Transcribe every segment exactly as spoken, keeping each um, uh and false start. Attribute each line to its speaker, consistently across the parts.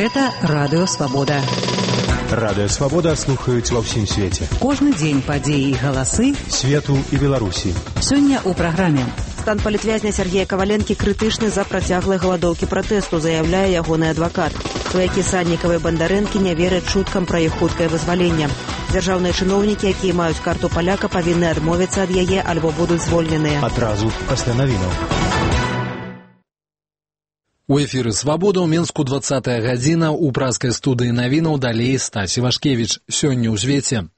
Speaker 1: Гэта Радыё Свабода.
Speaker 2: Радыё Свабода слухаюць ва ўсім свеце.
Speaker 1: Кожны дзень падзеі і галасы
Speaker 2: свету і Беларусі.
Speaker 1: Сёння ў праграме.
Speaker 3: Стан палітвязня Сергея Каваленкі крытычны за працяглай галадоўкі пратэсту, заяўляе ягоны адвакат. Сваякі Саннікава і Бандарэнкі не вераць чуткам пра іх хуткае вызваленне. Дзяржаўныя чыноўнікі, якія маюць карту паляка, павінны адмовіцца ад яе альбо будуць звольненыя.
Speaker 2: Адразу пасля навінаў.
Speaker 4: У эфіры «Свабода» ў Менску двадцатая гадзіна, у праскай студыі навінаў далей Стасі Вашкевіч. Сёння ў звеце.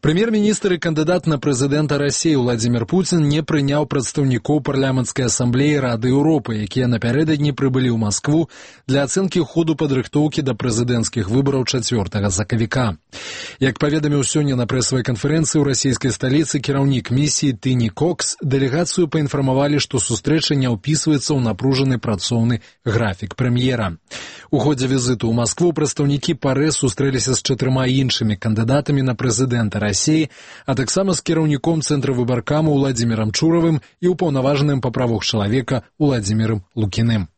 Speaker 4: Прэм'ер-міністр і кандыдат на прэзідэнта Расіі Владзімір Пуцін не прыняў прадстаўнікоў парламенцкай асамблеі Рады Еўропы, якія напярэдадні прыбылі ў Маскву для ацэнкі ходу падрыхтоўкі да прэзідэнцкіх выбараў чацвёртага сакавіка. Як паведаміў сёння на прэсавай канферэнцыі ў расійскай сталіцы кіраўнік місіі Тыні Кокс, дэлегацыю паінфармавалі, што сустрэча не ўпісваецца ў напружаны працоўны графік прэм'ера. У ходзе візіту ў Маскву прадстаўнікі ПАРЭ сустрэліся з чатырма іншымі кандыдатамі на прэзідэнта Расіі, а таксама з кіраўніком Цэнтра выбаркаму Уладзімірам Чуравым і ўпаўнаважаным па правах чалавека Уладзімірам Лукіным.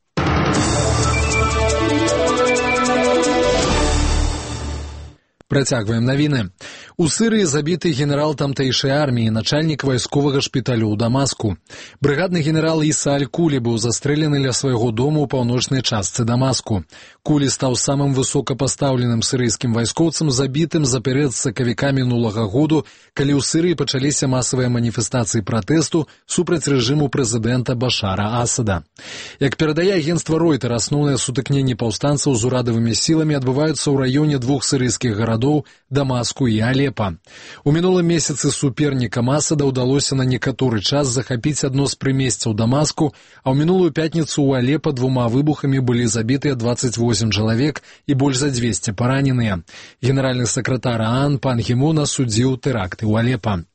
Speaker 4: Працягваем навіны. У Сырыі забіты генерал тамтэйшай арміі, начальнік вайсковага шпіталю ў Дамаску. Брыгадны генерал Іса Аль-Кулі быў застрэлены ля свайго дому ў паўночнай частцы Дамаску. Кулі стаў самым высокапастаўленым сырыйскім вайскоўцам, забітым за перыяд з сакавіка мінулага году, калі ў Сырыі пачаліся масавыя маніфестацыі пратэсту супраць рэжыму прэзідэнта Башара Асада. Як перадае агенцтва Ройтер, асноўныя сутыкненні паўстанцаў з урадавымі сіламі адбываюцца ў раёне двух сырыйскіх гарадоў Дамаску і Алепа. У мінулым месяцы супернікам Асада ўдалося на некаторы час захапіць адно з прымесцяў Дамаску, а ў мінулую пятніцу ў Алепа двума выбухамі былі забітыя дваццаць восем чалавек і больш за дзвесце параненыя. Генеральны сакратар ААН Пан Гі Мун асудзіў тэракты ў Алепа.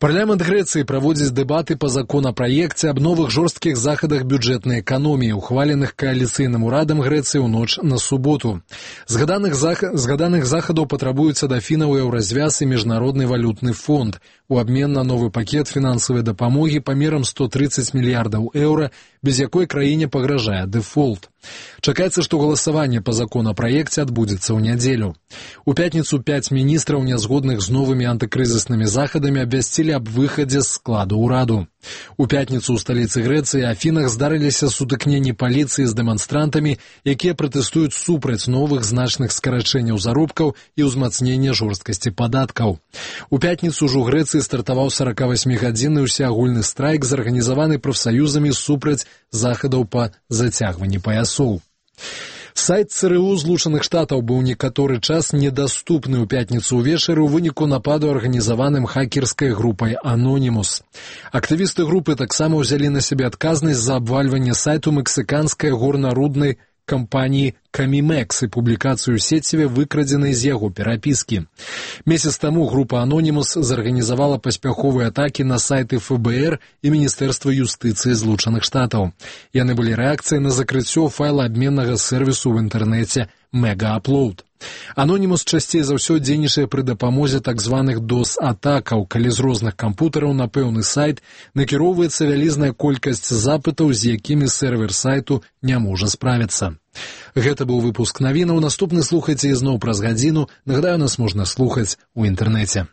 Speaker 4: Парламент Грэцыі праводзіць дэбаты па законапраекце аб новых жорсткіх захадах бюджэтнай эканоміі, ухваленых кааліцыйным урадам Грэцыі ў ноч на суботу. Згаданых, зах... Згаданых захадаў патрабуюцца да фінаў еўразвяз і міжнародны валютны фонд у абмен на новы пакет фінансавай дапамогі памерам сто трыццаць мільярдаў еўра, без якой краіне пагражае дэфолт. Чакаецца, што галасаванне па законапраекце адбудзецца ў нядзелю. У пятніцу пяць міністраў, нязгодных з новымі антыкрызіснымі захадамі, абвясцілі аб выхадзе з складу ўраду. У пятніцу ў сталіцы Грэцыі Афінах здарыліся сутыкненні паліцыі з дэманстрантамі, якія пратэстуюць супраць новых значных скарачэнняў заробкаў і ўзмацнення жорсткасці падаткаў. У пятніцу ж у Грэцыі стартаваў соракавасьмігадзінны ўсеагульны страйк, зарганізаваны прафсаюзамі супраць захадаў па зацягванні паясоў. Сайт ЦРУ Злучаных Штатаў быў некаторы час недаступны ў пятніцу ўвечары ў выніку нападу, арганізаваным хакерскай групай Anonymous. Актывісты групы таксама ўзялі на сябе адказнасць за абвальванне сайту мексіканскай горнаруднай кампаніі Камімекс і публікацыю ў сеціве, выкрадзенай з яго перапіскі. Месяц таму група Anonymous зарганізавала паспяховыя атакі на сайты эф бэ эр і Міністэрства юстыцыі Злучаных Штатаў. Яны былі рэакцыяй на закрыццё файлаабменнага сервісу ў інтэрнэце Мегааплоуд. Anonymous часцей за ўсё дзейнічае пры дапамозе так званых дос-атакаў, калі з розных кампутараў на пэўны сайт накіроўваецца вялізная колькасць запытаў, з якімі сервер сайту не можа справіцца. Гэта быў выпуск навінаў. Наступны слухайце ізноў праз гадзіну. Нагадаю, нас можна слухаць у інтэрнэце.